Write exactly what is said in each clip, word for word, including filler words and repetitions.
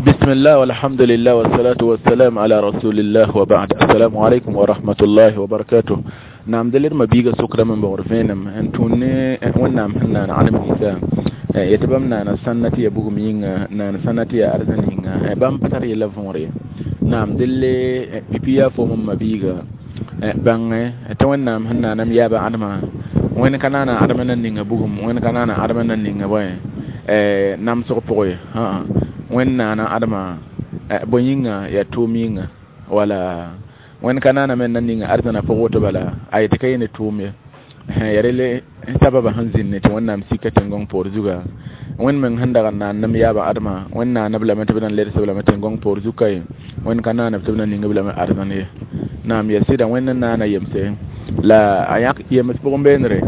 بسم الله والحمد لله والصلاة والسلام على رسول الله وبعد السلام عليكم ورحمة الله وبركاته نعم دليل ما بيغا سكرا من بغرفينم ان توني ونعم هنا عالم إيسا يتبام نانا سنتي يبوغ مينغا نانا سنتي أرزن ينغا بام بطر يلا فونري نعم دلي بيبيا فوم ما بيغا بان تون نعم هنا نم يابا عدما وين كان أنا عدما نينغا بوغم وين كان أنا عدما نينغا بوي nam sog pʋgẽ wẽnd naana adma bõe yĩnga yaa tʋʋm yĩnga wala wẽnd ka naana me na ninga arzãna pʋg woto bala a yetɩ ka yẽ ne tʋʋm ye ya rele sababa sẽn zĩnne tɩ wẽnnaam sika tẽn-gõng poor zuga wẽnd meng sẽn dag n naan nem yaaba adma wẽnd naaneb lame tɩ b na n ledsb lame tẽn-gõng poor zuka ye wẽnd ka naaneb tɩ b na ning b lame arzãn ye naam ya sɩda wẽnd n naana yemse la a yãk yems pʋgẽ beenre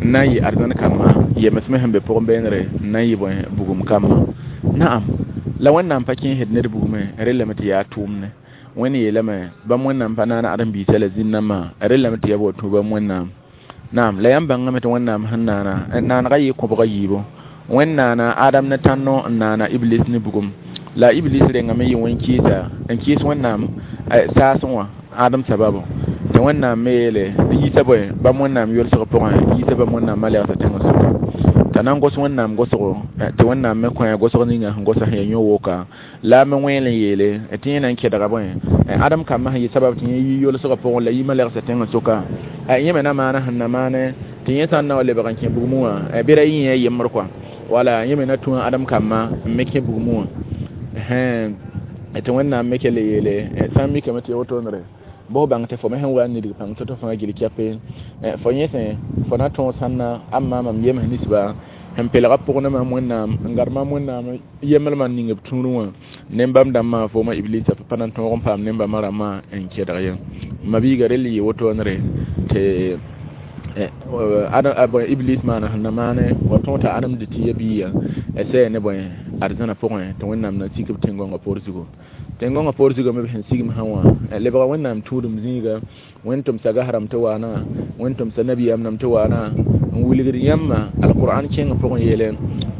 n na n yɩ arzãn kambã yems me sẽn be pʋgẽ beenre n na n yɩ bõe bugum kambã naam la wẽnnaam pa kẽesd ned bugmẽ rellame tɩ yaa tʋʋmne wẽnd yeelame bãmb wẽnnaam pa naana ãdem-biisã la zĩn-nambã rellame tɩ yaa wa tũ bãmb wẽnnaam naam la yãmb bãngame tɩ wẽnnaam sẽn naana naanega yɩ kõbga yiibu wẽnd naana adam ne tãnno n naana iblis ne bugum la iblis rengame yɩ wẽn kɩɩsa n kɩɩs wẽnnaam saasẽ wã ãdem sababu tɩ wẽnnaam me yeele yiisa bõe bãmb wẽnnaam yolsg pʋgẽ yiisa bãmb wẽnnaam malɛgsa tẽngã sʋka t'a na n gos wẽnnaam gosgo tɩ wẽnnaam me kõ a gosg ninga sẽn gosa sẽn yaa yõ-woka la a me wẽel n yeele tɩ yẽ na n kɛdga bõe ãdem kambã sẽn yɩ sabab tɩ yẽ yi yolsgã pʋgẽ la yi malɛgsa tẽngã sʋka yẽ me na maana sẽn na maane tɩ yẽ sã n na wa lebg n kẽ bugmẽ wã bɩ ra yẽ a yembr kɔa wala yẽ me na tũ ãdem kambã n me kẽ bugmẽ wã tɩ wẽnnaam me kell yeele sã n mikame tɩ ya wotone bõe bãng tɩ fo me sẽn wa n nidg pãng tɩ fãa gil kɛpe fo yẽsẽ fo na tõog sãnna am maamam yems ninsba sẽn pelga pʋg ne mam wẽnnaam n gad mam wẽnnaam yemblmã ning b tũudẽ wã ne-bãmb dãmbã fooma iblisa pa na n tõog n paam ne-bãmbã rãmbã n kɛdg ye ma-biiga rel yɩ wotoonre tɩ iblis maana sẽn na maane wa tõog t'a ãdem dɩ tɩ ya biiga sɛ ne bõe arzãna pʋgẽ tɩ wẽnnaam na n sik b tẽn-gõngã poor zugu tẽn-gõngã poor zugã me b sẽn sigmsã wã lebga wẽnnaam tũudum zĩiga wẽnd tʋmsa gasrãmb tɩ waana wẽnd tʋmsa nabiyaam nam tɩ waana n wilgd yãmba alqur'an kẽngã pʋgẽ yeele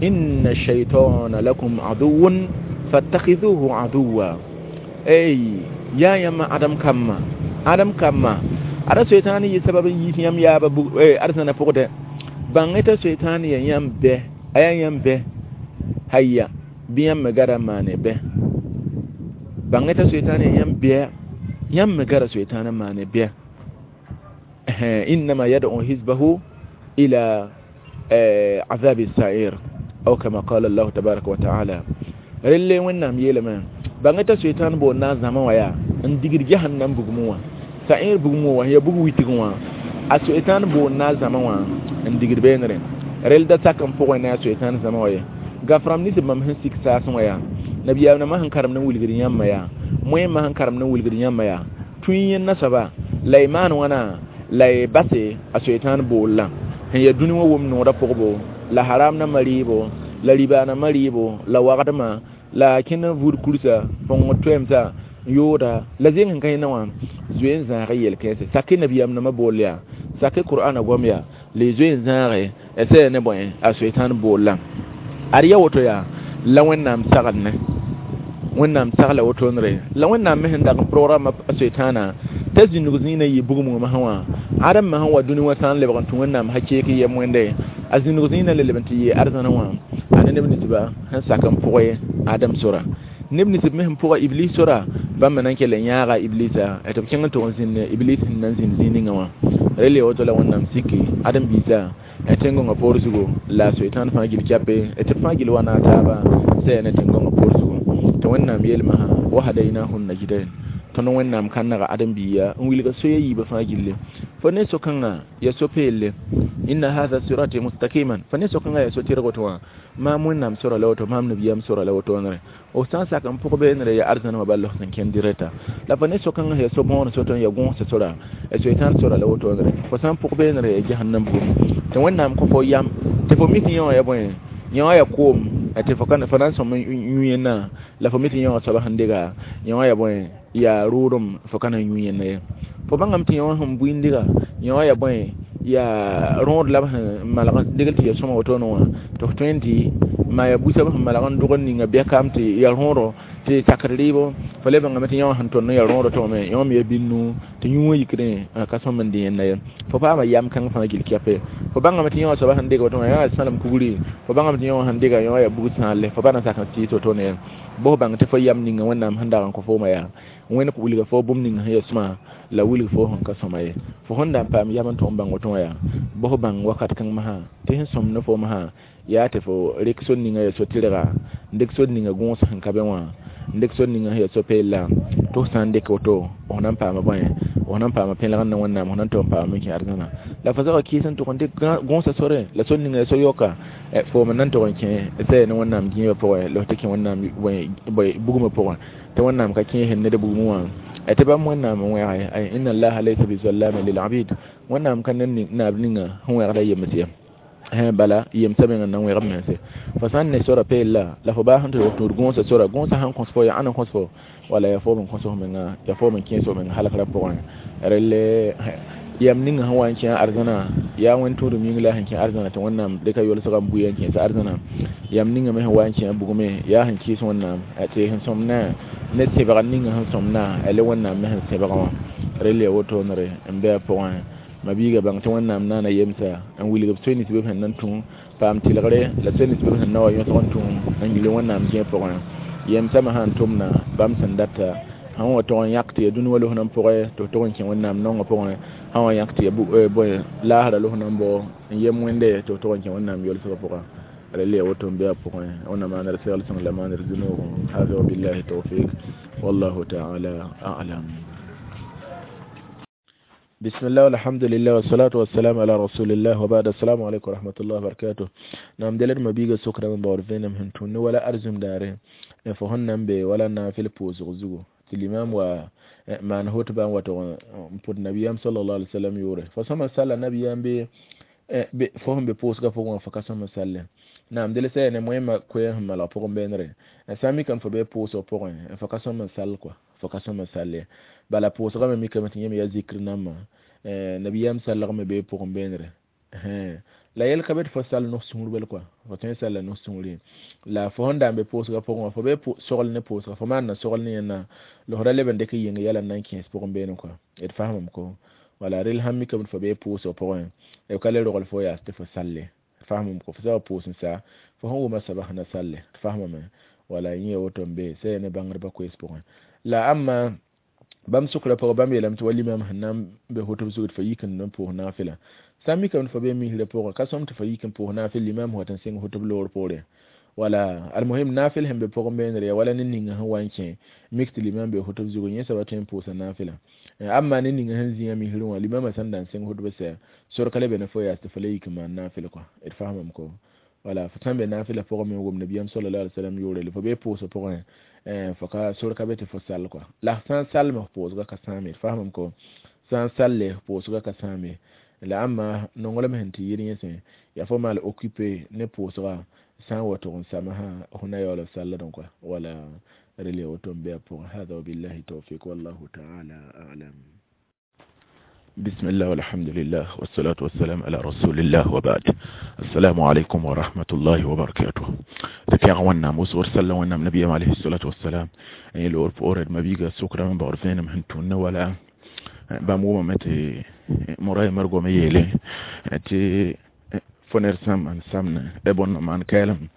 inna shaitana lakum aduwun fattakhidhuhu aduwa ey yaa yãmba ãdem kambã ãdem kambã ada soetãan yɩ sabab n yiis yãmb yaaba arzãna pʋgdɛ bãng t'a soetãan ya yãmb bɛ a yaa yãmb bɛ haya bɩ yãmb me gara n maane bɛ bãng t'a soetãan ya yãmb bɛ yãmb me gara soetãan n maane bɛ innama yad'u hizbahu ila عذاب السعير أو كما قال الله تبارك وتعالى relle wẽnnaam yeelame bãng t'a soetãan boond na n zãma wã yaa n digd jahannam bugmẽ wã sa'ir bugmẽ wã ya bug witg wã a soetãan boond na n zãma wã n digd beenre rel da sak n pʋgẽ ne a soetãan zãma wã ye gaf-rãmb nins bãmb sẽn sik saasẽ wã yaa nabiyaam nambã sẽn karemd n wilgd yãmbã yaa moẽmã sẽn karemd n wilgd yãmbã yaa tũ yẽnda soaba la y maan wãna la y base a soetãan boollã sẽn yaa dũni wã wʋm noodã pʋgbo la haram nambã rɩɩbo la riba nambã rɩɩbo la wagdmã la kẽnd n vʋʋd kursa põng toɛɛmsa n yooda la zeng sẽn ka yẽnda wã zoe n zãag yel-kãense sake nabiyaam nambã bool yaa sake qur'ana goam yaa la y zoe n zãage sɛ ne bõe a soetãan boollã ad ya woto yaa la wẽnnaam sagl ne wẽnnaam sagla wotonre la wẽnnaam me sẽn dag n programma a soetãana t'a zĩndg zĩig na yɩ bugum wã masã wã ãdem me sẽn wa dũni wã sã n lebg n tũ wẽnnaam hakeek yem wẽnde a zĩndg zĩig na le leb n tɩ yɩ arzãna wã a ne neb ninsba sẽn sak n pʋgẽ adem sora neb ninsb me sẽn pʋga iblis sora bãmb me na n kell n yãaga iblisa tɩ b kẽng n tʋg n zĩnd iblis sẽn na n zĩnd zĩig ninga wã rel ya woto la wẽnnaam siki ãdem-biisã tẽn-gõngã poor zugu la soetãan fãa gil kɛpe tɩ b fãa gil wa na a taaba sɛ ne tẽn-gõngã poor zugu tɩ wẽnnaam yeelmã wa hadainahu najdain tõnd wẽnnaam kãnega ãdem-biiga n wilga soya yiibã fãa gilli fo ne so-kãngã ya so-peelle inna hatha sirati mustaqiman fo ne so-kãngã ya so-tɩrg woto wã maam wẽnnaam sora la woto maam nabiyaam sora la wotoonre f sã n sak n pʋg beenre ya arzãn wã bal f sẽn kẽnd dirɛta la fo ne so-kãngã ya so-bõor soto n ya gõos sora soetãan sora la wotoonre fo sã n pʋg beenre ya jahannam bugum tɩ wẽnnaam kõ fo yam tɩ fo mi tɩ yẽ wã ya bõe yẽ wã ya koom tɩ fo ka fo na n sõm yũ yẽnna la fo mi tɩ yẽ wã soaba sẽn dega yẽ wã ya bõe yaa rʋʋdem fo ka na n yũ yẽnna ye fo bãngame tɩ yẽ wã sẽn bui n dega yẽ wã ya bõe yaa rõod la b sẽn malg degl tɩ ya sõma wotone wã tɩ f tõe n tɩ maa ya busab sẽn malg n dog n ninga bɛkaam tɩ ya rõodo Tɩ sakr rɩɩbo fo le bãngame tɩ yã wã sẽn tõnd n yaa rõodã tõgame yõ me ya binnu tɩ yũ wã yikdẽ ka sõm n dẽ yẽnda ye fo paama yam kãng fãa gill kɛpe fo bãngame tɩ yã wã soaba sẽn dɩg woto wã yã yaa sãnem kugri fo bãngame tɩ yã wã sẽn dɩga yã wã yaa bug sãalle fo pa na sak n tɩɩs wotone ye bõs bãng tɩ fo yam ninga Wẽnnaam sẽn dag n kõ fooma yaa Wẽnd wilga fo bũmb ning sẽn yaa sõma la wilg fo sẽn ka sõma ye fo sẽn da n paam yam n tõg n bãng woto wã yaa bõs bãng wakat kãng masã tɩ sẽn sõmd ne foom sã yaa tɩ fo rɩk sor ninga yaa so-tɩrga n dɩk sor ninga gõos sẽn ka be wã n dɩk sor ninga sẽn yaa so-peella tɩ f sã n dɩk woto f na n paama bõe f na n paama pẽlgr ne Wẽnnaam f na n tog n paama kẽ arzãna la fo zaga kɩɩs n tʋg n dɩk gõosã sore la sor ninga yaa so-yoka foom n na n tog n kẽ sɛ ne Wẽnnaam gĩibã pʋgẽ la f tɩ kẽ Wẽnnaam bugmã pʋgẽ tɩ Wẽnnaam ka kẽesd ned bugmẽ wã tɩ bãmb Wẽnnaam n wẽge inna allaha laysa bizallamin lil abid Wẽnnaam ka ned naab ninga sẽn wẽgda yems ye bala yemsã mengã n na n wẽg b mense fo sã n ne sora peella la fo baa sẽn tɩ tũud gõosã sora gõosã sãn kõs fo yaa ãn n kõs fo wala yaa foom n kõs f menga yaa foom n kẽes f menga halgrã pʋgẽ relle yam ninga sẽn wa n kẽ arzãna yaa wẽnd tũudum yĩng la sẽn kẽ arzãna tɩ Wẽnnaam dɩka yolsga n bui n kẽes arzãna yam ninga me sẽn wa n kẽ bugmẽ yaa sẽn kɩɩs Wẽnnaam tɩ sẽn sõmdã ne sẽbg ninga sẽn sõmdã le Wẽnnaam me sẽn sẽbg wã relle ya wotoonere n be a pʋgẽ ma biiga bãng tɩ Wẽnnaam naana yemsa n wilg b soe nins bɩ b sẽn na n tũ paam tɩlgre la soe nins bɩ b sẽn na wa yõsg n tũ n gilli Wẽnnaam gẽeg pʋgẽ yemsã me sãn tʋmda bãmb sẽn data sãn wa tog n yãk tɩ ya dũni wã los n pʋgẽ tɩ f tog n kẽ Wẽnnaam naongã pʋgẽ sã wa yãk tɩ ya bõe laasrã los n bao n yem wẽnde tɩ f tog n kẽ Wẽnnaam yolsgã pʋgã relle ya woto n be a pʋgẽ Wẽnnaam maanr segl sõng la maanr zũnoogẽ hada wabillahi tawfik wallahu taala a'lam. بسم الله والحمد لله والصلاة والسلام على رسول الله وبعد السلام عليكم ورحمة الله وبركاته نعم دلر ما بيغا سكرا من باور فينم هنتون ولا أرزم داره فهن be wala nafil pʋʋsg zugu tɩ limam wa maan hotbã n wa tog n pʋd nabiyam sallallahu alaihi wasallam yʋʋre fo sõma salla nabiyam be fo sẽn be pʋʋsgã pʋgẽ wã fo ka sõm n salle naam del sã ne moẽmã koɛɛg sẽn malg pʋgẽ beenre sã n mikame fo be pʋʋsg pʋgẽ fo ka sõm n sall kɔa fo ka sõm n sall ye bala pʋʋsgã me mikame tɩ yẽme yaa zikr nambã nabiyam sallgme be pʋgẽ beenre la yɛl ka be tɩ fo sall nos sũur bel kɔa fo tõe n salla nos sũurẽ la fo sẽn da n be pʋʋsgã pʋgẽ wã fo be sogl ne pʋʋsga fo maan na sogl ne yẽnna la f ra leb n dɩk n yĩng yɛla n na n kẽes pʋgẽ beene kɔa d fasamame ko wala rel sãn mikame tɩ fo be pʋʋsg pʋgẽ b ka le rogl fo yaas tɩ fo salle d fasamame ko fo sã wa pʋʋs n sa fo sẽn wʋma soaba sẽn na salle d fasamame wala yẽ ya woto n be sã ya ne bãngdbã koees pʋgẽ la ãmma bãmb sʋkrã pʋgẽ bãmb yeelame tɩ wa limam sẽn na n be hotb zugd fo yik n pʋʋs naafɩla sã n mikame tɩ fo be misrã pʋgẽ ka sõm tɩ fo yik n pʋʋs naafɩl limam sẽn wat n sɩng hotb loor poore wala almuhim naafɩl sẽn be pʋgẽ beenre ya wala ne ninga sẽn wa n kẽ mik tɩ limam be hotb zugu yẽ soaba tõe n pʋʋsa naafɩla amma ne ninga sẽn zĩa misrẽ wã limamã sẽn da n sɩng hotb sɛ sor ka le be ne fo yaas tɩ fo le yik n maan naafɩl kɔa d fasamame ko wala fo sãn be naafɩla pʋgẽ me n wʋm nabiyam sallallahu alaihi wasallam yʋʋre la fo be pʋʋsg pʋgẽ fo ka sor ka be tɩ fo sall kɔa la sã n salme f pʋʋsgã ka sãame d fasamame ko sã n salle f pʋʋsgã ka sãame la ãmba nonglem sẽn tɩ yɩr yẽsẽ yaa fo maal occupé ne pʋʋsga sã n wa tog n samsã f na yaool f salldẽ kɔa wala rel ya woto n be a pʋgẽ hada wabillahi tawfik wallahu taala a'lam. بسم الله والحمد لله والصلاة والسلام على رسول الله وبعد السلام عليكم ورحمة الله وبركاته تفيغ ونام وصور سلا ونام نبي عليه الصلاة والسلام أي لور فورد ما بيغا سكرا من بعرفين مهنتون ولا بامو متي موراي مرغو ميلي تي فونر سام ان سامنا ابن مان كلام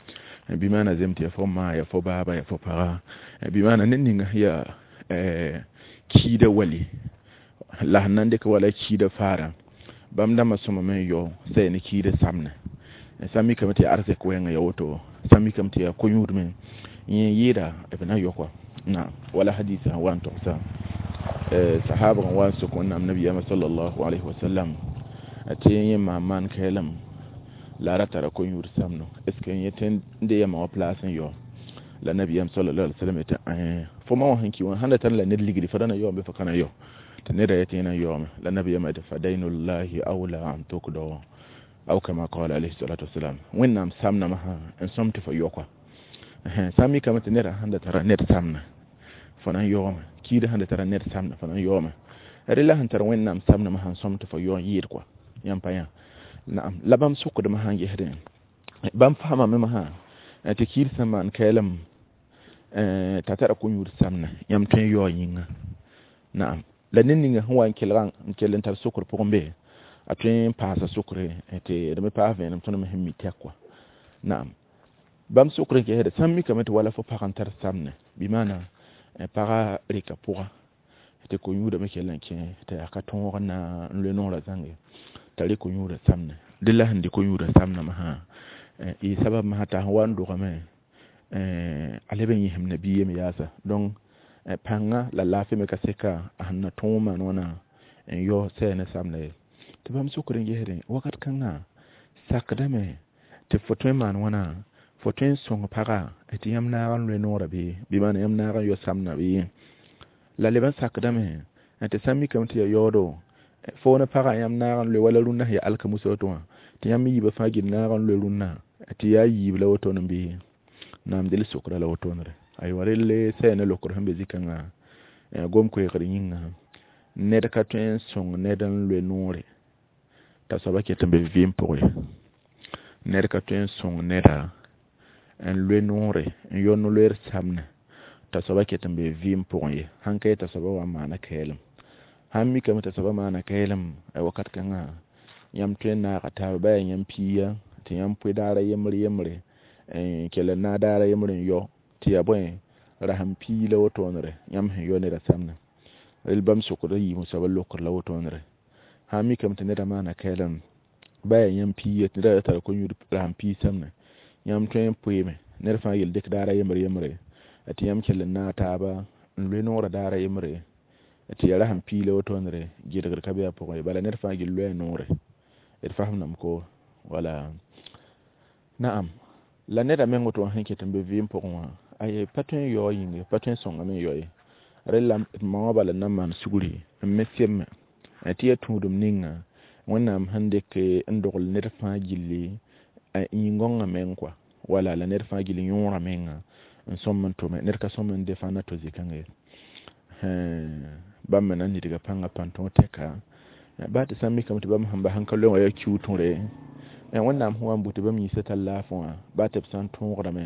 بما زمت يا فما يا فو بابا يا فو بارا بما ننين هي كيدا ولي la sẽn na n dɩk wala kiida faara bãmb dãmbã sõma me n yao sã yaa ne kiida samne sã n mikame tɩ yaa arzɛk wɛɛngã ya woto sã n mikame tɩ yaa ko-yũudmẽ yẽ yɩɩda b na yao kɔa na wala hadisa sẽn wa n togsa sahabg n wa n sok Wẽnnaam nabiyaamã sallallahu alayhi wa sallam tɩ yẽ maan maan kɛɛlem la a ra tara ko-yũud samno est ce que yẽ tõe n de yamã wã place n yao la nabiyaam sallallahu alayhi wa sallam yetɩ fo ma wã sẽn ki wã sãn da tar la ned ligdi fo ra na yaoome bɩ fo ka na yao tɩ neda yetɩ yẽ na yaoome la nabiyaamã yetɩ fadainullahi awla an tukdo aw kama qala alayhi salatu wasalam Wẽnnaam samnamã sã n sõm tɩ fo yao kɔa sã n mikame tɩ neda sẽn da tara ned samna fo na n yaoome kiida sẽn da tara ned samna fo na n yaoome rela sẽn tar Wẽnnaam samnamã sãn sõm tɩ fo yao n yɩɩd kɔa yãmb pa yã naam la bãmb sʋkdmã sãn gesdẽ bãmb faamame masã tɩ kiid sẽn maan kɛɛlem t'a tara ko-yũud samna yãmb tõe n yaoog yĩnga naam la ned ninga sẽn wa n kelgã n kell n tar sokr pʋgẽ be a tõe n paasa sokre tɩ d me paas vẽenem tõnd me sẽn mi tɛk wã naam bãmb sokr n gesde sã n mikame tɩ wala fo pag n tar samnɛ bɩ maana paga reka pʋga tɩ ko-yũudame kell n kẽ tɩ yaa ka tõog n na n loe noorã zãnge t'a rɩk ko-yũudã samnɛ dẽ la sẽn dɩ ko-yũudã samnã masã y sabab masã t'a sẽn wa n dogame a leb n yẽsem nabiig yem yaasa donc pãnga la laafɩ me ka seka a sẽn na tõog n maan wãna n yao sɛɛ ne samda ye tɩ bãmb sokr n gesdẽ wakat kãngã sakdame tɩ fo tõe n maan wãna fo tõe n sõng paga tɩ yãmb naag n loe noorã bɩ bɩ maana yãmb naag n yao samdã bɩ la leb n sakdame tɩ sã n mikame tɩ yaa yaoodo fo ne pagã yãmb naag n loe wala rũnnã sẽn yaa alkamusa woto wã tɩ yãmb yiibã fãa gil naag n loe rũnnã tɩ yaa yiib la wotone bɩ naam del sokra la wotonere aywa relle sɛɛ ne lokr sẽn be zĩ-kãngã gom-koeegr yĩnga ned ka tõe n sõng ned n loe noore t'a soaba ket n be vɩɩm pʋgẽ ye ned ka tõe n sõng neda n loe noore n yõ no-loeer samnɛ t'a soaba ket n be vɩɩm pʋgẽ ye sãn ka ye t'a soaba wa n maana kɛɛlem sãn mikame t'a soaba maana kɛɛlem wakat kãngã yãmb tõe n naaga taaba ba yaa yãmb piiga tɩ yãmb pʋɩ daara yembre yembre n kell n naag daara yembre n yao tɩ yaa bõe rasem pii la wotoonere yãmb sẽn yao neda samnã rel bãmb sokd a yiib soaba lokr la wotoonere sã n mikame tɩ neda maana kɛɛlem ba yaa yãmb piiga tɩ neda tara ko-yũud rasem pii samnã yãmb tõe n pʋɩɩme ned fãa yel dɩk daara yembre yembre tɩ yãmb kell n naag taaba n loe noorã daara yembre tɩ yaa rasem pii la wotoonere gɩdgr ka be a pʋgẽ ye bala ned fãa gil loe a noore d fasemdame ko wala naam la neda meng woto wã sẽn ket n be vɩɩm pʋgẽ wã ay pa tõe n yaoog yĩnge pa tõe n sõngame n yao ye rel la ma wã bala n na n maan sugri n me semme tɩ yaa tũudem ninga wẽnnaam sẽn dɩk n dogl ned fãa gilli yĩn-gãongã meng kɔa wala la ned fãa gill yõorã menga n sõm n tʋme ned ka sõm n defã na to zĩ-kãngã ye bãmb me na n nidga pãngã pãn-tõog tɛka baa tɩ sã n mikame tɩ bãmb sẽn ba sẽn ka loe wã yaa kiu tõre wẽnnaam sẽn wa n bʋ tɩ bãmb yĩnsã tar laafɩ wã baa tɩ b sã n tõogdame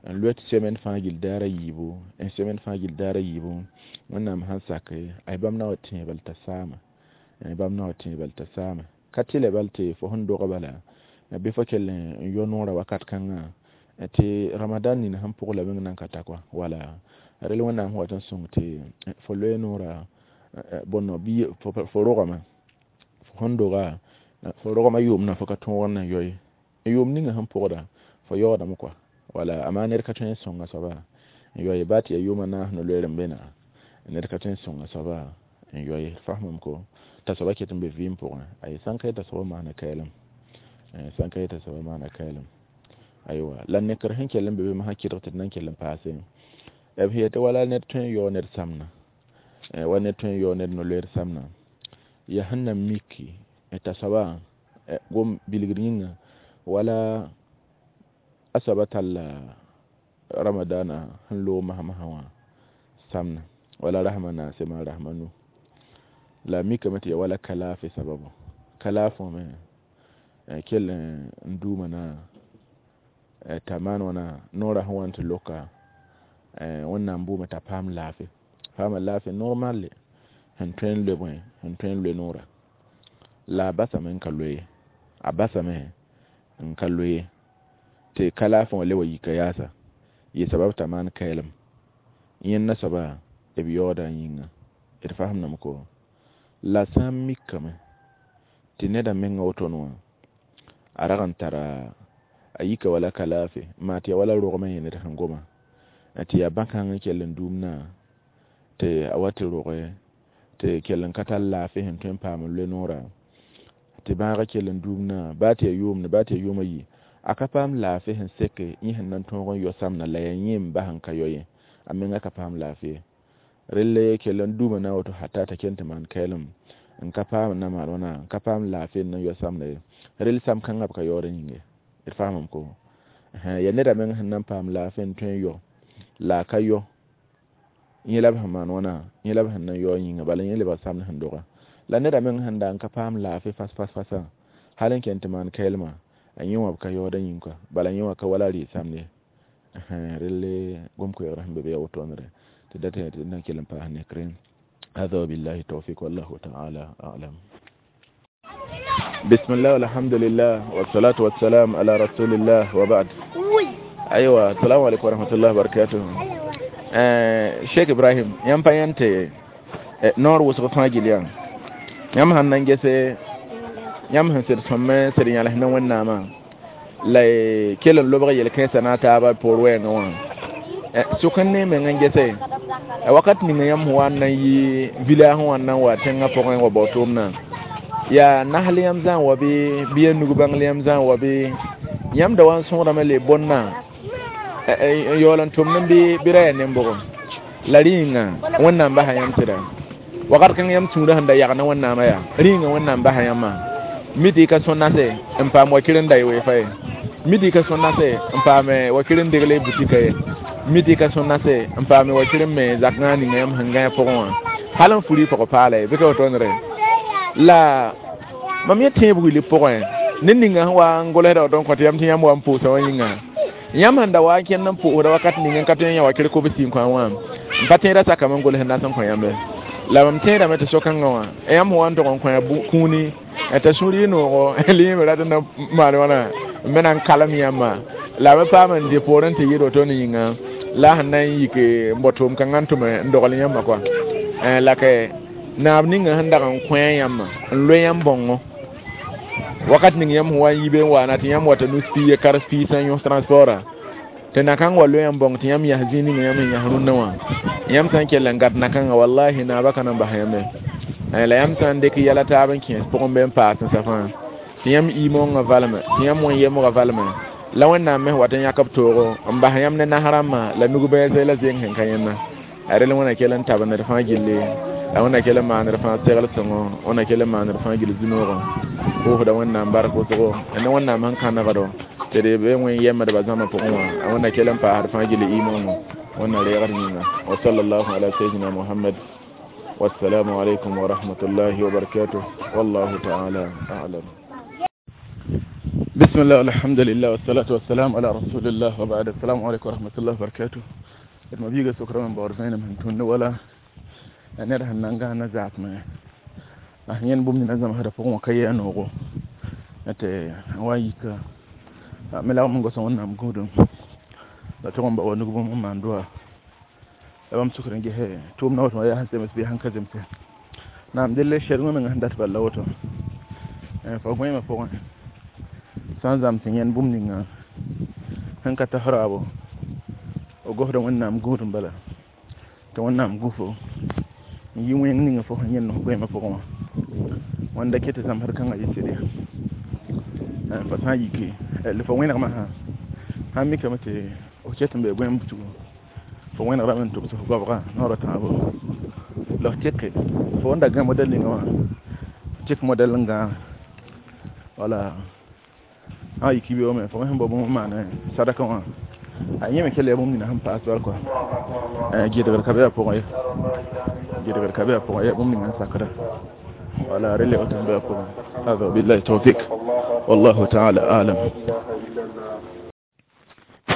n loe tɩ semaine fãa gill daar a yiibu n semaine fãa gill daar a yiibu wẽnnaam sãn sake ay bãmb na wa tẽe bal t'a saama bãmb na wa tẽe bal t'a saama ka tɩlɛ bal tɩ fo sẽn doga bala bɩ fo kell n yao noorã wakat kãngã tɩ ramadan nin sẽn pʋg la meng nan ka ta kɔa wala rel wẽnnaam sẽn wat n sõng tɩ fo loe noorã bõn bɩ fo rogame fo sẽn doga fo rogma yʋʋmdã fo ka tõog n na n yao ye yʋʋm ninga sẽn pʋgda fo yaoodame kɔa wala amaa ned ka tõe n sõnga soaba n yao ye baa tɩ yaa yʋʋma naas no-loeer n be na ned ka tõe n sõnga soaba n yao ye fasmame ko t'a soaba ket n be vɩɩm pʋgẽ ay sãn ka ye t'a soaba maana kɛɛlem sãn ka ye t'a soaba maana kɛɛlem aywa la nekr sẽn kell n be be masã kɩdg tɩ d nan kell n paase b sẽn yetɩ wala ned tõe n yaoog ned samna wa ned tõe n yaoog ned no-loeer samna yaa sẽn na miki t'a soaba gom bilgr yĩnga wala a soaba talla ramadana sẽn loog masã-masã wã samna wala rasma naase maa rasma nu la mikame tɩ yaa wala ka laafɩ sababu ka laafɩ wã me kell n duuma na t'a maan wãna noorã sẽn wa n tɩ loka wẽnnaam buuma t'a paam laafɩ paama laafɩ normal sẽn tõe n loe bõe sẽn tõe n loe noorã la a basame n ka loe ye a basame n ka loe ye tɩ ka laafɩ wã le wa yika yaasa yɩ sabab t'a maan kɛɛlem yẽnda soaba b yaooda a yĩnga d fasemdame ko la sã n mikame tɩ neda menga wotone wã a rag n tara a yika wala ka laafɩ n maa tɩ yaa wala rogmã yẽ ned sẽn goma tɩ yaa bã-kãng n kell n duumna tɩ a wa tɩ roge tɩ kell n ka tar laafɩ sẽn tõe n paam n loe noorã tɩ bãagã kell n duumna baa tɩ yaa yʋʋmde baa tɩ yaa yʋʋm a yi a ka paam laafɩ sẽn seke yẽ sẽn na n tõog n yao samdã la yaa yẽ n bas n ka yao ye a menga ka paam laafɩ ye relle kell n duuma na woto hata t'a kell tɩ maan kɛɛlem n ka paam n na maan wãna n ka paam laafɩ n na yao samda ye rel sam kãngã b ka yaood n yĩnge d faamame ko yaa neda meng sẽn na n paam laafɩ n tõe n yao la a ka yao yẽ la b sẽn maan wãna yẽ la b sẽn na n yaoog yĩnga bala yẽ lebg samd sẽn doga la neda meng sẽn da n ka paam laafɩ fas fas fasã hal n kẽn tɩ maan kɛɛlmã a yẽ wã b ka yaooda yĩng kɔa bala yẽ wã ka wala a rɩ samd ye Relle gom koɛɛgrã sẽn be be yaa wotoonre tɩ dat tɩ na n kell n paas nekre. هذا وبالله التوفيق والله تعالى أعلم. بسم الله والحمد لله والصلاة والسلام على رسول الله وبعد. أيوة، السلام عليكم ورحمة الله وبركاته. آه شيخ إبراهيم yãmb pa yãn tɩ noor wʋsg fãa gill yaa yãmb sãn na n gese yãmb sẽn sɩd sõm sɩd yãles ne Wẽnnaamã la y kell n lobg yel-kãensã na a taabã poor wɛɛngã wã sʋk n ne meng n gese wakat ninga yãmb sẽn wa n na n yi village sẽn wa n na n wa tẽngã pʋgẽ wa bao tʋʋmdã yaa nasl yãmb zã n wa bɩ bɩ ya nug-bãngl yãmb zã n wa bɩ yãmb da wa n sõodame le bõnna n yaool n tʋmd bɩ bɩ ra yaa nen-bʋgem la rĩnga Wẽnnaam basa yãmb sɩda wakat kãng yãmb sũurã sẽn da yag ne Wẽnnaamã yaa rĩnga Wẽnnaam basa yãmbã mi tɩ y ka sõn nase n paam wakir n da y weefa ye mi tɩ y ka sõn nase n paam wakir n degle butika ye mi tɩ y ka sõn nase n paam wakir n me zakngã ninga yãmb sẽn gãe pʋgẽ wã hal n furi pʋgẽ paala ye bɩ ka wotoonre la mam yẽ tẽeb wilg pʋgẽ ned ninga sẽn wa n golsda woto n kõ tɩ yãmb tɩ yãmb wa n pʋʋsa wã yĩnga yãmb sẽn da wa n kẽnd n pʋʋsda wakat ning n ka tõe n yã wakr kobs n kõ wã n pa tẽeda sakame n gols nas n kõ yãmbe la mam tẽedame tɩ so-kãngã wã yãmb sẽn wa n tog n kõ ya kũuni t'a sũur yɩ noogo liime rat n na maan wãna n me na n kalem yãmba la me paam n dɩ poorẽ tɩ yɩɩd woto ne yĩnga la sẽn na n yik n bao tʋʋm-kãngã n tʋm n dogl yãmba kɔa la ka naab ninga sẽn dag n kõ yãmba n loe yãmb bãongo wakat ning yãmb sẽn wa n yi be n waana tɩ yãmb wata nus piig kars piig sã n yõs transporta tɩ na-kãng wa loe yãmb bãong tɩ yãmb yas zĩig ninga yãmb sẽn yas rũnnã wã yãmb sã n kell n gat na-kãngã wallahi naabã ka na n bas yãmbe la yãmb sã n dɩk yɛla taab n kẽes pʋgẽ bɩ n paas n sa fãa tɩ yãmb iimongã valme tɩ yãmb wẽn-yemgã valme la Wẽnnaam me wat n yãk b toogo n bas yãmb ne nas rãmbã la nug-bɛɛse la zeng sẽn ka yẽnda a rel wẽna kell n tab ned fãa gilli la wẽnna kell n maand fãa segl sõngo wẽnna kell n maand fãa gill zũ-noogã pʋʋsda Wẽnnaam bark wʋsgo ne Wẽnnaam sẽn kãnegdo tɩ d be wẽn yemdbã zãma pʋgẽ wã a wẽnna kell n paasd fãa gill iimongõ wẽnna reegd yĩnga wa sallallahu ala sayyidina Muhammad. والسلام عليكم ورحمة الله وبركاته والله تعالى أعلم. بسم الله والحمد لله والصلاة والسلام على رسول الله وبعد. السلام عليكم ورحمة الله وبركاته. ما بيجا سكرا من بارزين من تون ولا نره نانغا نزعت ما أهين بوم نزم هذا فوق مكيا نوغو أتى وايك ملا من قصون نام قدوم لا تقوم بقول نقوم من دوا bam sukr n gese tʋʋm na woto yaa sẽn zems bɩ sẽn ka zemse naam delle sɛdgẽ meng sẽn dat bala woto fa gõeemã pʋgẽ sã n zãms yẽnd bũmb ninga sẽn ka tas raabo f gosda Wẽnnaam gũudum bala tɩ Wẽnnaam gũfo n yi wẽng ninga fo sẽn yẽnd f goeemã pʋgẽ wã wãnda ket tɩ zãmsd kãngã yɩ sɩd ya fa sã n yike la fo wẽnegmã sã sãn mikame tɩ f ket n bee goeem butugo fo wẽnegrame n tʋbs f goabga noorã tãabo la f teke fo wẽnda gã modɛl ninga wã tek modɛl n gãag wala a yiki beoome fo me sẽn bao bũmb n maan sadaka wã a yẽ me kell yaa bũmb nina sẽn paas bal kɔa gɩdgr ka be a pʋgẽ ye gɩdgr ka be a pʋgẽ yaa bũmb ninga n sakda wala rel yaa woto n be a pʋgẽ. هذا وبالله التوفيق والله تعالى أعلم.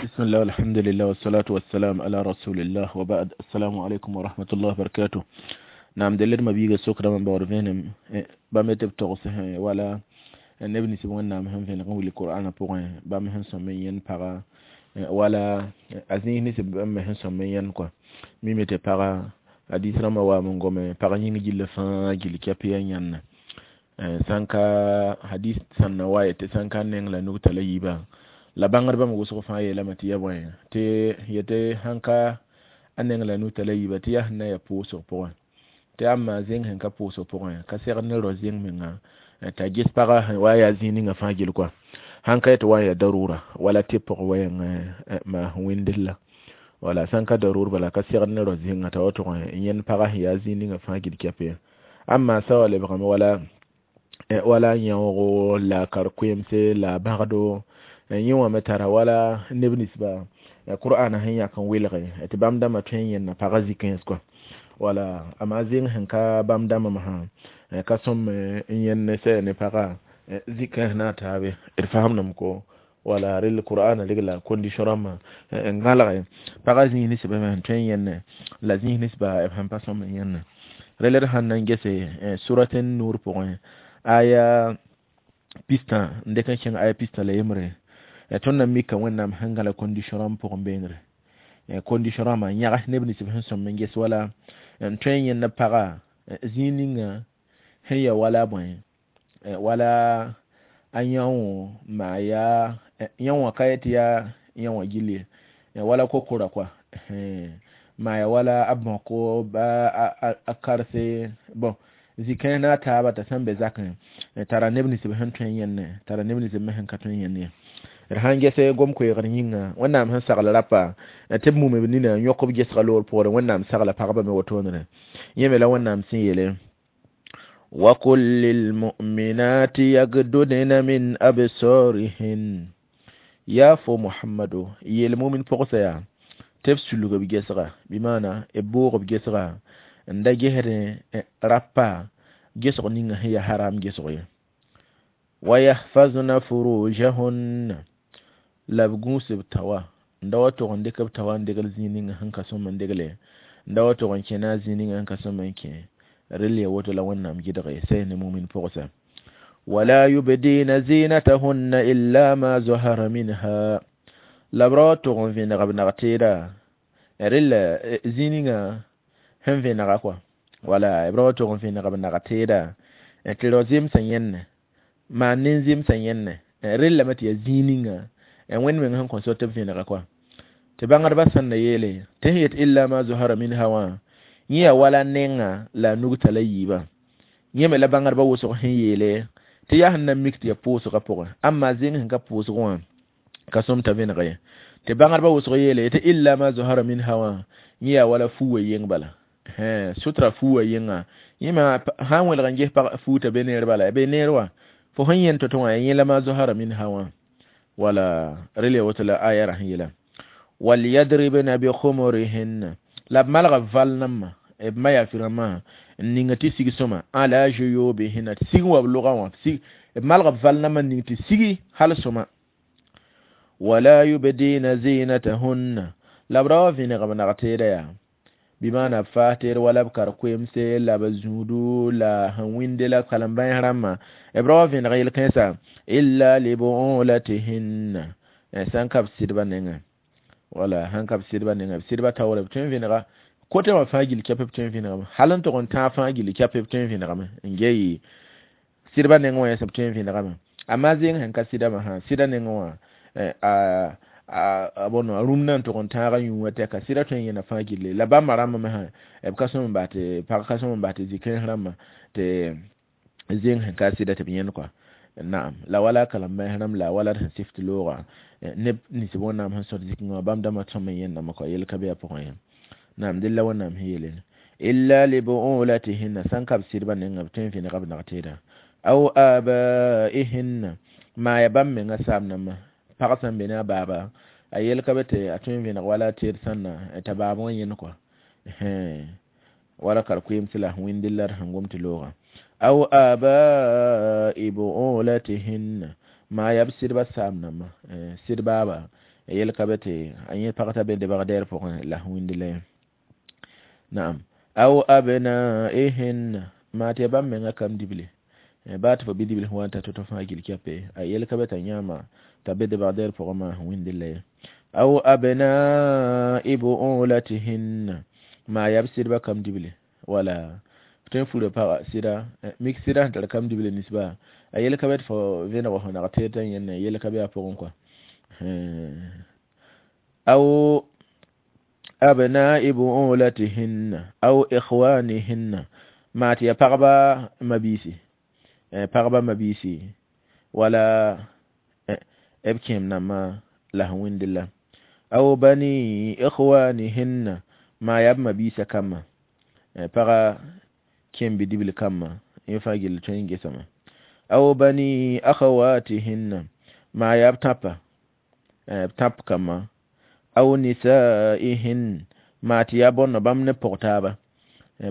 بسم الله والحمد لله والصلاة والسلام على رسول الله وبعد. السلام عليكم ورحمة الله وبركاته. نعم دلر ما بيجا سكرا من بورفينم بامتب تغسه ولا neb nins Wẽnnaam sẽn vẽneg n wilg Qur'ana pʋgẽ bãmb sẽn sõm n yẽnd paga wala a zĩis nins bãmb me sẽn sõm n yẽnd kɔa mime tɩ paga hadis rãmbã waam n gome pag yĩng gilli fãa gill kɛp yaa yãnna sãn ka hadis sãn na wa yetɩ sãn ka neng la nug tala yiibã la bãngdbã me wʋsg fãa yeelame tɩ ya bõe tɩ yetɩ sãn ka a neng la nug tala yiibã tɩ yaa sẽn na ya pʋʋsg pʋgẽ tɩ ãmba zẽng sẽn ka pʋʋsg pʋgẽ ka segd ne rao zẽng menga t'a ges paga sẽn wa yaa zĩig ninga fãa gill kɔa sãn ka yetɩ wa n ya darura wala tɩ pʋg wɛɛng maas wẽndl la wala sãn ka darur bala ka segd ne rao zẽnga t'a wa tʋg n yẽnd paga sẽn yaa zĩig ninga fãa gill kɛp ye ãmba sa wa lebgame wala wala yãoogo la kar-koeemse la bãgdo yẽ wã me tara wala neb ninsba Qur'ana sẽn yãk n welge tɩ bãmb dãmbã tõe n yẽnna pagã zĩ-kãens kɔa wala amma zẽng sẽn ka bãmb dãmbã masã ka sõm n yẽnd sɛ ne pagã zĩ-kãens na a taabe d faamdame ko. Wala rel Qur'an regla condition rãmbã n gãlge pagã zĩis ninsbã me sẽn tõe n yẽnne la zĩis ninsba b sẽn pa sõm n yẽnne rel d sãn na n gese surat Nur pʋgẽ aya pistã n dɩk n kẽng aya pistã la yembre. Tõnd na mika Wẽnnaam sẽn gãla condition rãmb pʋgẽ beengre condition rãmbã n yãgs neb nins b sẽn sõm n ges wala n tõe n yẽnd paga zĩig ninga sẽn ya wala bõe wala a yão maa yaa yão wã ka yetɩ yaa yão wã gill ye wala kokora koa maa ya wala a bõko ba a karse bon zĩ-kãens ne a taaba t'a sẽn be zakẽ tara neb nins b sẽn tõe n yẽnne tara neb nins b me sẽn ka tõe n yẽnd ye. D sãn gese gom-koeegr yĩnga Wẽnnaam sẽn sagl rapa tɩ b mum b nina n yõk b gesga loor pʋgre Wẽnnaam sagla pagba me wotoonere yẽ me la Wẽnnaam sẽn yeele وقل للمؤمنات يغضضن من أبصارهن ya fo Muhammadu yeel mumin pʋgsa yaa tɩ b sulg b gesga bɩ maana b boog b gesga n da gesdẽ rapa gesg ninga sẽn yaa haram gesg ye ويحفظن فروجهن la b gũus b tawa n da wa tog n dɩk b tawa n degl zĩig ninga sẽn ka sõm n degle n da wa tog n kẽna zĩig ninga sẽn ka sõm n kẽ rel ya woto la Wẽnnaam gɩdge say ne mumin pʋgsa ولا يبدين زينتهن إلا ما ظهر منها la b ra wa tog n vẽneg b nag-teeda rel zĩig ninga sẽn vẽnega kɔa wala b ra wa tog n vẽneg b nag-teeda tɩ rao zemsã yẽnne maan nin-zemsã yẽnne rel lame tɩ yaa zĩig ninga Wẽnd meng sẽn kõ so tɩ b vẽnega kɔa tɩ bãngdbã sẽn na yeele tɩ sẽn yet إلا ما ظهر منها wã yẽ yaa wala nenga la a nugta la yiibã yẽ me la bãngdbã wʋsg sẽn yeele tɩ yaa sẽn na mik tɩ yaa pʋʋsgã pʋgẽ amma zẽng sẽn ka pʋʋsg wã ka sõm t'a vẽneg ye tɩ bãngdbã wʋsg yeele tɩ إلا ما ظهر منها wã yẽ yaa wala fuuwã yeng bala sutra fuuwã yenga yẽ me sã n wẽlg n ges pag fuuta be neer bala be neer wã fo sẽn yẽnd to-to wã yẽ la ما ظهر منها wã wala rel ya woto la aya ra sẽn yeela وليضربن بخمرهن la b malga val nãmbã b ma yaa rãmbã n ninga tɩ sig sõma على جيوبهن tɩ sig wa b lʋgã wã sig b malga b val nãmbã n ning tɩ sigi hal sõma ولا يبدين زينتهن la b ra wa vẽneg b nag-teeda yaa bɩ maana b faas teer wala b kar koemse la b zũudu la sẽn wĩnde la kalem-bãens rãmbã b ra wa vẽneg yel-kãensã إلا لبعولتهن sãn ka b sɩdbã nengẽ wala sãn ka b sɩdbã nengẽ b sɩdbã taoore b tõe n vẽnega kote wã fãa gill kɛp b tõe n vẽnegame hal n tog n tãag fãa gill kɛp b tõe n vẽnegame n ge sɩdbã nengẽ wã yẽsem tõe n vẽnegame amma zẽng sẽn ka sɩdame sã sɩda nengẽ wã a bõn a rũm na n tog n tãaga yũ wã tɛka sɩda tõe n yẽna fãa gilli la bãmba rãmba me sã b ka sõm n bas tɩ pag ka sõm n bas tɩ zĩ-kãens rãmbã tɩ zẽng sẽn ka sɩda tɩ b yẽnd kɔa naam la wala kalem-bãens rãmb la wala d sẽn sɩft loogã neb nins Wẽnnaam sẽn sõt zikẽ wã bãmb dãmbã tõm n yẽndame kɔa yel ka be a pʋgẽ ye naam dẽla Wẽnnaam sẽn yeele إلا لبعولتهن sãn ka b sɩdbã nengã b tõe n vẽnega b nag-teeda أو آبائهن maa ya bãmb menga saam nambã pag sẽn be ne a baaba a yel ka be tɩ a tõe n vẽneg wala teed sãnna t'a baab wã yẽnd kɔa wala kar koeemse la sẽn wĩnd la d sẽn gom tɩ loogã أو آباء بعولتهن maa yaa b sɩdbã saam nambã sɩd baaba yel ka be tɩ a yẽ pag t'a be debg-dɛɛr pʋgẽ la sẽn wĩnd la ye naam أو أبنائهن maa tɩ ya bãmb menga kam dible baa tɩ fo bi-dibl sẽn wa n ta to-to fãa gill kɛpe a yel ka be t'a yãama t'a be debg-dɛɛr pʋgẽ maa sẽn wĩnd la ye أو أبناء بعولتهن maa yaa b sɩdbã kam dible wala tõe n fura pagã sɩda mik sɩda sẽn tar kam dible ninsba a yel ka be tɩ fo vẽneg fo nag teed t'a yẽnne yel ka be a pʋgẽ kɔa أو أبناء بعولتهن أو إخوانهن maa tɩ yaa pagba mabiisi pagba mabiisi wala b kẽem nambã la sẽn wĩnd la أو بني إخوانهن maa yaa b mabiisã kambã paga kẽem bi-dibl kambã yẽ fãa gill tõe n gesame أو بني أخواتهن maa yaa b tãpa b tãp kambã أو نسائهن maa tɩ yaa bõn bãmb ne pʋg taaba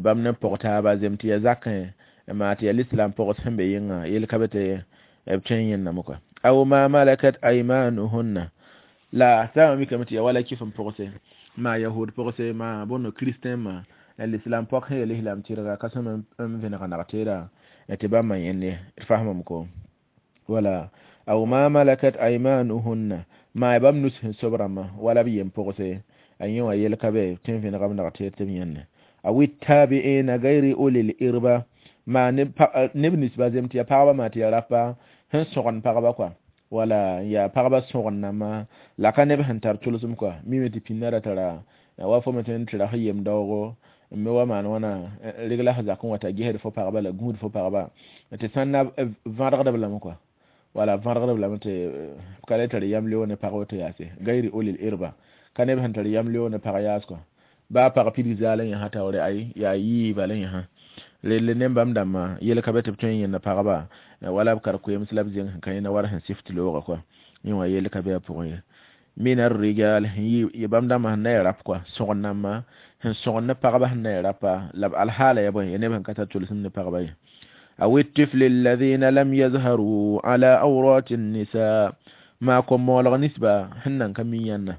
bãmb ne pʋg taaba zem tɩ yaa zakẽ maa tɩ yaa lislam pʋgs sẽn be yẽnga yel ka be tɩ b tõe n yẽndame kɔa. Aw ma malakat aymanuhunna la sama mi kam tɩ ya wala kɩf n pʋgse maa yahud pʋgse maa bõndo kristɛn ma l'islam pɔk sẽn yel islam tɩrga ka sõm n vẽneg nag-teeda tɩ bãmba yẽnd ye d fasmame ko wala aw ma malakat aymanuhunna maa bãmb nus sẽn sob rãmbã wala b yem pʋgse a yẽ wã yel ka be tɩ n vẽnega b nag-teed tɩ b yẽnde aw tabi'ina gayri ulil irba maa neb ninsba zem tɩ ya pagba maa tɩ ya rapa sẽn sõgend pagba kɔa wala ya pagba sõgen nambã la ka neb sẽn tar tʋlsem kɔa mime tɩ pĩnda ra tara wa fo me tɩ n tɩ ra f yem daoogo n me wa maan wãna regla f zakẽ wa t'a gesd fo pagba la gũud fo pagba tɩ sãn na vãdgdb lame kɔa wala vãdgdb lame tɩ ka le tar yam leoog ne pag woto yaase gayri ulil irba ka neb sẽn tar yam leoog ne pag yaas kɔa baa pag pidig zaala yẽsã taoore ay yaa yiiba la yẽsã relle ne bãmb dãmbã yel ka be tɩ b tõe n yẽnda pagba wala b kar koeems la b zẽng sẽn ka yẽnda war sẽn sɩft loogã kɔa yẽ wã yel ka be a pʋgẽ ye min arrijal sẽn bãmb dãmbã sẽn na ya rap kɔa sõgen nambã sẽn sõgen ne pagba sẽn na ya rapa la b alhaala ya bõe ya neb sẽn ka tar tʋlsem ne pagba ye aw الطفل الذين لم يظهروا على أورات النساء ما kom-moolg nisba sẽn nan ka mi yãnna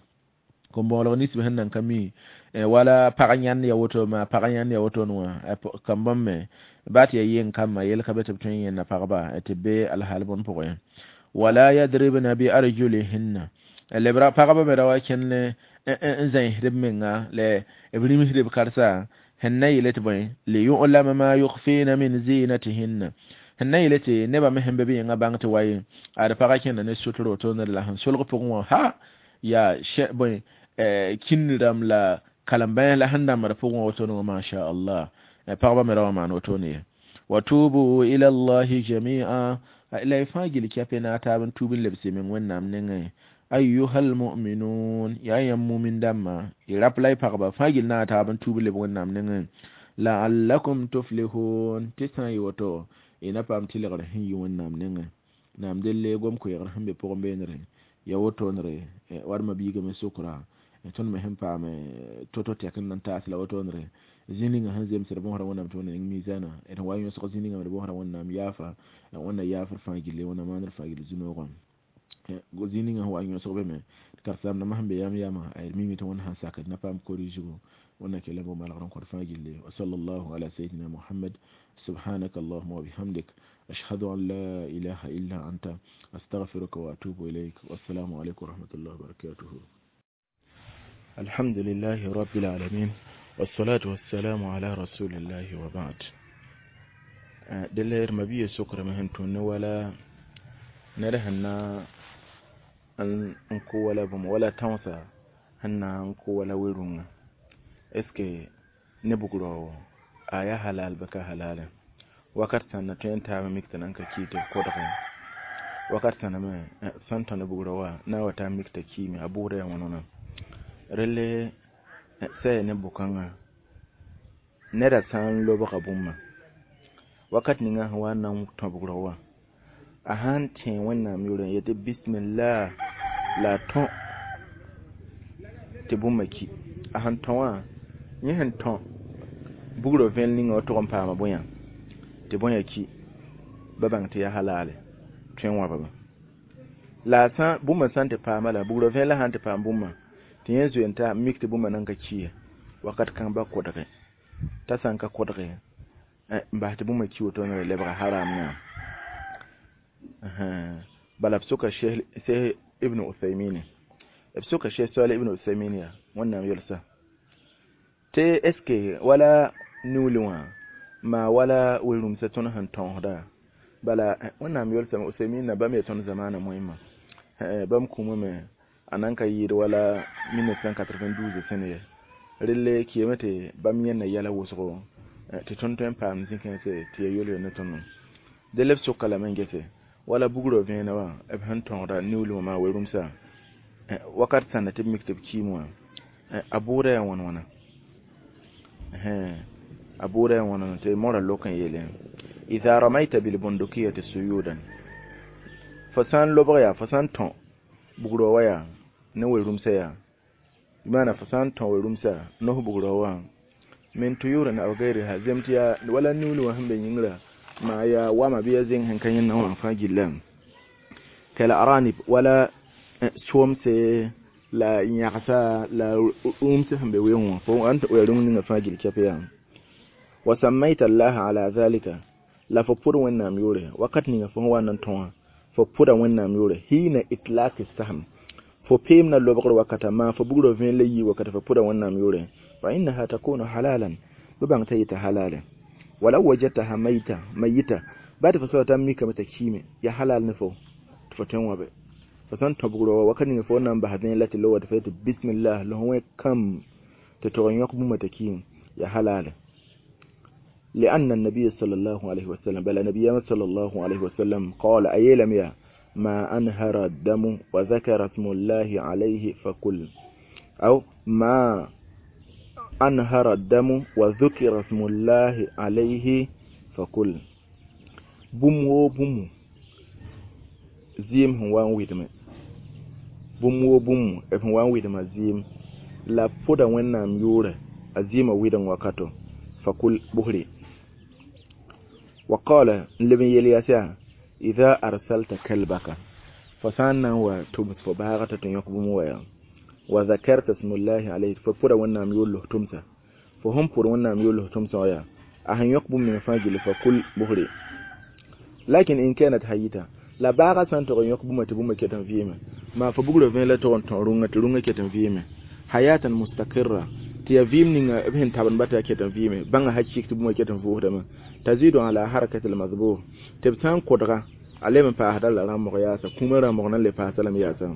kom-moolg nisba sẽn nan ka mi wala pag yãnd ya woto ma pag yãnd ya woto wã kam bãmb me baa tɩ ya yeng kambã yel ka be tɩ b tõe n yẽnda pagba tɩ be alhaal bõn pʋgẽ wala yadribna bi arjulihinna lebra pagba me ra wa kẽnd n zãisd b menga la b rĩmsd b karsa sẽn na yeele tɩ bõe liyulama ma yukhfina min zinatihinna sẽn na yeele tɩ nebã me sẽn be b yẽngã bãng tɩ wa ye ad pagã kẽnda ne sʋtr wotone la sẽn solg pʋgẽ wã ha yaa bõe kĩnd rãmb la kalem-bães la sẽn dãmbd pʋgẽ wã wotone wã masha allah pagba me ra wa maan wotone ye wa tubu ila llahi jamia la y fãa gil kɛpɛ na a taab n tuub n lebse meng wẽnnaam nengẽ أيها المؤمنون yaa yãmb mumin dãmbã y rap la y pagba fãa gill na a taab n tuub leb wẽnnaam nengẽ la'allakum tuflihun tɩ sã n yɩ woto y na paam tɩlgr sẽn yi wẽnnaam nengẽ naam delle gom koɛɛgr sẽn be pʋgẽ beenre ya wotonre warma biigame sokra tõnd me sẽn paam to-to tɛk n nan taas la wotonre zĩ ninga sẽn zemsd bõosda wẽnnaam tɩ wẽnna ning mizana d wa yõsg zĩ ninga d bõosda wẽnnaam yaafa wẽnna yaafr fãa gilli wẽnna maandr fãa gill zu-noogã zĩ ninga sẽn wa yõsg be me karen-saamdãmbã sẽn be yam yama d mime tɩ wẽnd sãn sak d na paam corrigigo wẽnna kell n bo malgr n kõt fãa gilli wa sallallahu ala sayyidina muhammad subhanaka allahumma wa bihamdik ashhadu an la ilaha illa anta astaghfiruka wa atubu ilayk wassalamu alaykum wa rahmatullahi wa barakatuh الحمد لله رب العالمين والصلاة والسلام على رسول الله وبعد دلير مبي سكر مهن تون ولا نرهنا n kʋ wala bũmb wala tãoosa sẽn na n kʋ wala we-rũngã est ce que ne bugrã a yaa halal bɩ ka halale wakat sãn na tõe n taab mik tɩ nan ka ki tɩ b kodge wakat sãna me sãn tõ ne bugrã wa na n wa taa mik t'a kiime a bʋʋda yaa wãn-wãna relle sã ne bʋ-kãngã neda sã n lobga bũmba wakat ninga sẽn wa n na n tõ bugrã wã a sãn tẽ wẽnnaam yʋʋr n yetɩ bismillah la a tõ tɩ bũmba ki a sẽn tõ wã yẽ sẽn tõ bugrã vẽel ninga wa tʋg n paama bõe tɩ bõe ki ba bãng tɩ yaa halale tõe n wãbame la a sã bũmba sã n tɩ paama la bugrã vẽelã sã n tɩ paam bũmba tɩ yẽ zoe n ta mik tɩ bũmba nan ka ki ye wakat kãng ba kodge t'a sã n ka kodge n bas tɩ bũmba ki woto ne lebga haram yã bala b soka Sheikh Ibn Uthaymeen b soka Sheikh Salih Ibn Uthaymeen ya wẽnnaam yelsa tɩ est ce que wala niuuli wã maa wala we-rũmsã tõnd sẽn tõosda bala wẽnnaam yelsame Uthaymeen na bãmb yaa tõnd zamaana moẽmã bãmb kũumame a nan ka yɩɩd wala mille neuf cent quatre-vingt-douze sẽn ye relle kɩame tɩ bãmb yẽnda yɛla wʋsgo tɩ tõnd tõe n paam zĩ-kãense tɩ ya yol-yol ne tõnd dẽ b soka lame n gese wala bugrã vẽenã wã b sẽn tõogda niuuli wã maa we-rũmsã wakat sãnda tɩ b mik tɩ b kiime wã a bʋʋda yaa wãn wãna a bʋʋda yaa wãn wãna tɩ mora lok n yeele idha ramaita bilbundukiyati suyudan fo sã n lobg yaa fo sã n tõ bugrã wa yaa ne we-rũmsã yaa maana fo sã n tõ we-rũmsã nos bugrã wã min tuyurin aw gayriha zem tɩ yaa wala niuuli wã sẽn be yĩngrã maa yaa wama bɩ ya zẽng sẽn ka yẽnda wã fãa gilla كالأرانب ولا soomse la yãgsa la rũms sẽn be weoong wã fo ãn ya rũng ninga fãa gill kɛp yaa وسميت الله على ذلك la fo pʋd Wẽnnaam yʋʋre wakat ninga fo sẽn wa n na n tõ wã fo pʋda Wẽnnaam yʋʋre حين إطلاق السهم fo peem na lobgr wakata maa fo bugrã vẽen la yii wakata fo pʋda Wẽnnaam yʋʋre فإنها تكون حلالا bɩ bãng t'a yeta halale ولو وجدتها ميتة ميتة baa tɩ fo soaba t'a mikame t'a kiime ya halal ne fo tɩ fo tõe n wãbe fo sẽn tõ bugrã wa wakat ninga fo na n bas vẽen la tɩ lowa tɩ fo yetɩ bismillah la fo wẽ kam tɩ tog n yõk bũmba t'a kiime ya halale لأن النبي صلى الله عليه وسلم بل النبي صلى الله عليه وسلم قال أيلم يا ما أنهر الدم وذكر اسم الله عليه فكل أو ما أنهر الدم وذكر اسم الله عليه فكل bũmb woo bũmb zɩɩm sẽn wa n wɩdme bũmb woo bũmb b sẽn wa n wɩdma zɩɩm la pʋda Wẽnnaam yʋʋrɛ a zɩɩmã wɩdeng wakato فكل bʋsre وقال n leb n yel yaa إذا أرسلت كلبك fo sã n na n wa tʋms fo baagã t'a tɩ yõk bũmb wa yaa وذكرت اسم الله عليه fo pʋda Wẽnnaam yʋʋr los tʋmsa fo sẽn pʋd Wẽnnaam yʋʋr los tʋmsã wã yaa a sẽn yõk bũmb ning fãa gilli فكل bʋsre لكن إن كانت حية la baagã sã n tog n yõk bũmba tɩ bũmba ket n vɩɩme maa fo bugrã vẽen la tog n tõ rũngã tɩ rũngã ket n vɩɩme حياة مستقرة tɩ yaa vɩɩm ninga b sẽn tabend ba tɩ yaa ket n vɩɩme bãnga hakɩk tɩ bũmba ket n vʋʋsdame تزيد على حركة المذبوح tɩ b sã n kodga a leb n paasda la rãmbg yaasa kũumã rãmbg nan le paasa lame yaasa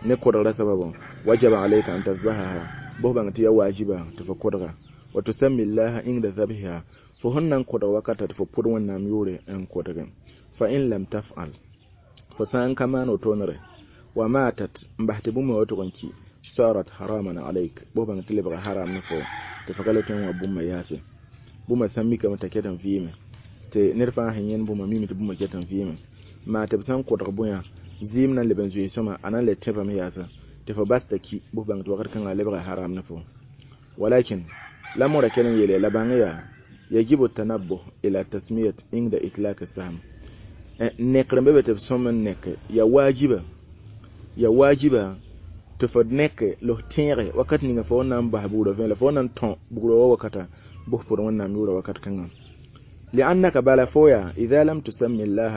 ne kodgrã sababã وجب عليك أن تذبحها bʋs bãng tɩ yaa waajiba tɩ fo kodga وتسمي الله عند ذبحها fo sẽn na n kodg wakata tɩ fo pʋd Wẽnnaam yʋʋre n kodge فإن لم تفعل fo sã n ka maan wotoonere وماتت n bas tɩ bũmb wã tʋg n ki صارت حراما عليك bʋs bãng tɩ lebga haram ne fo tɩ fo ka le tõe n wa bũmba yaase bũmba sã n mikame t'a ket n vɩɩme tɩ ned fãa sẽn yẽnd bũmba mime tɩ bũmba ket n vɩɩme maa tɩ b sã n kodg bõe zɩɩm na n leb n zoe sõma a na n le tẽbame yaasa tɩ fo bas t'a ki bʋs bãng tɩ wakat kãngã a lebga haram ne fo ولكن la mõra kell n yeele la bãng yaa يجب التنبه إلى تسمية عند إطلاق السهم nekr n be be tɩ b sõm n nek ya waajiba ya waajiba tɩ fo nek los tẽege wakat ninga fo na n bas bugrã vẽ la fo na n tõ bugrã wa wakata bʋs pʋd Wẽnnaam yʋʋra wakat kãngã لأنك bala fo yaa إذا لم تسمي الله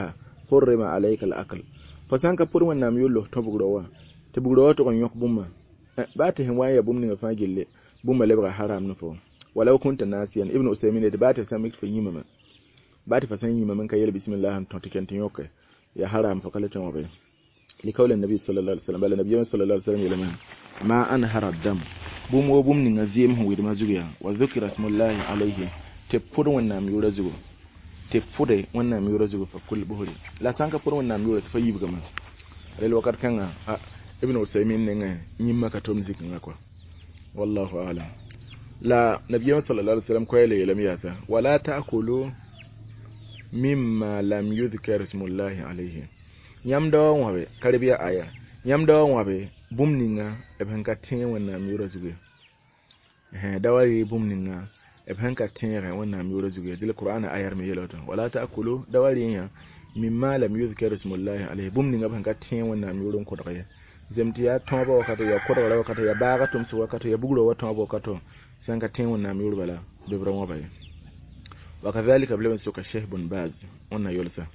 حرم عليك الأكل fo sã n ka pʋd Wẽnnaam yʋʋr los tõ bugrã wa tɩ bugrã wa tʋg n yõk bũmba baa tɩ sẽn wa n ya bũmb ninga fãa gilli bũmba lebga haram ne fo ولو كنت ناسيا Ibn Usaymin tɩ baa tɩ sã mik fo yĩmame baa tɩ fa sã n yĩmame n ka yel bismillah n tõ tɩ ken tɩ yõke ya haram fo ka le tõe wã be لقول النبي صلى الله عليه وسلم bala nabiyaam صلى الله عليه وسلم yeelame ما أنهر الدم bũmb woo bũmb ninga zɩɩm sẽn wɩdmã zugu yaa وذكر اسم الله عليه tɩ pʋd Wẽnnaam yʋʋra zugu tɩ pʋde Wẽnnaam yʋʋra zugu فكل bʋsre la sã n ka pʋd Wẽnnaam yʋʋra tɩ fa yibgame rel wakat kãngã Ibn Usaymin nengẽ yĩmma ka tom zikẽngã kɔa والله أعلم la nabiyaam صلى الله عليه وسلم koɛɛ le yeelame yaasa ولا تأكلوا مما لم يذكر اسم الله عليه yãmb daoã wãbe karibia aya yãmb daoã wãbe bũmb ninga b sẽn ka tẽeg Wẽnnaam yʋʋra zugu ye da wa rɩ bũmb ninga b sẽn ka tẽegɛ Wẽnnaam yʋʋra zugu ye dɩl qur'ana ayar me yeela woto ولا تأكلوا da wa rɩ yã مما لم يذكر اسم الله عليه bũmb ninga b sẽn ka tẽeg Wẽnnaam yʋʋr n kodg ye zem tɩ yaa tõoba wakato yaa kodgra wakato yaa baaga tʋmsg wakato yaa bugrã wa tõob wakato sẽn ka tẽeg Wẽnnaam yʋʋr bala bɩ b ra wãba ye وكذلك b leb n soka Cheikh bun Baz wẽnna yolsa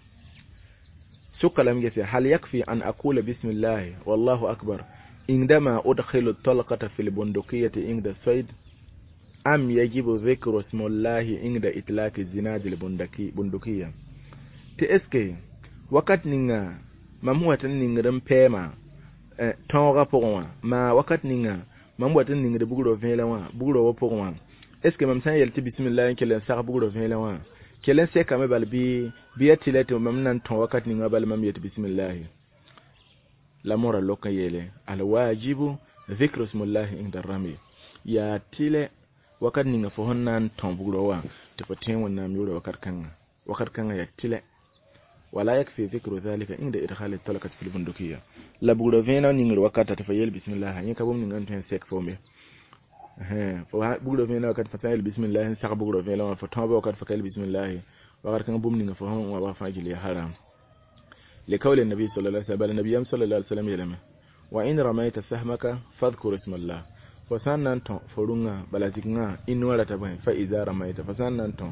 soka lame gese هل يكفي أن أقول بسم الله والله أكبر عندما أدخل الطلقة في البندقية عند الصيد أم يجب ذكر اسم الله عند إطلاق زناد البندقية tɩ eske wakat ninga mam wat n ningd n pɛɛma tõogã pʋgẽ wã maa wakat ninga mam wat n ningd bugrã vẽelã wã bugrã wã pʋgẽ wã est ce que mam sã n yel tɩ bismillah n kell n sag bugrã vẽelã wã kell n sekame bal bɩ bɩ ya tɩ la tɩ mam na n tõ wakat ninga bal mam yet bismillahi la mõra lok n yeele الواجب ذكر اسم الله عند الرمي yaa tɩlɛ wakat ninga fo sẽn na n tõ bugrã wã tɩ fo tẽeg Wẽnnaam yʋʋra wakat kãnga wakat kãngã yaa tɩlɛ ولا يكفي ذكر ذلك عند إدخال الطلقة في البندقية la bugrã vẽenã ningr wakata tɩ fa yel bismillah yẽ ka bũmb ninga n tõe n sek foome fo bugrã vẽenã wakat fa sã n yel bismillah n sag bugrã vẽelã wã fo tõoba wakat fa ka yel bismillah wakat kãngã bũmb ninga fo sẽn wa fãa gil yaa haram لقول النبي صلى الله عليه وسلم، bala nabiyam صلى الله عليه وسلم yeelame: وإن رميت سهمك فاذكر اسم الله. Fo sã n na n tõ fo rũngã, bala zikngã y noã rata bõe, فإذا رميت, fo sã n na n tõ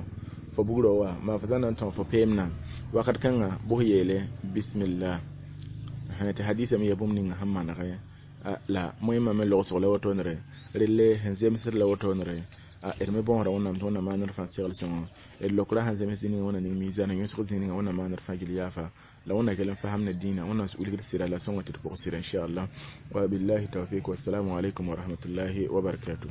fo bugrã wa maa, fo sã n na n tõ fo peemnã wakat kãngã, bʋs yeele بسم الله. Tɩ hadisa me ya bũmb ninga sẽn manege la moẽmã me logsg la wotoonre relle sẽn zemsd la wotoonre. D me bõosda Wẽnnaam tɩ Wẽnnaam maan d fãa segl sõngo, d lokra sẽn zems zĩ ninga Wẽnnaam ning mizan, yõsg zĩ ninga Wẽnnaam maan d fãa gil yaafa, la Wẽnna kell n fasam ne dĩinã, Wẽnnaam wilgd sɩda la sõngo tɩ d pʋg sɩda, inchallah. وبالله التوفيق، والسلام عليكم ورحمة الله وبركاته.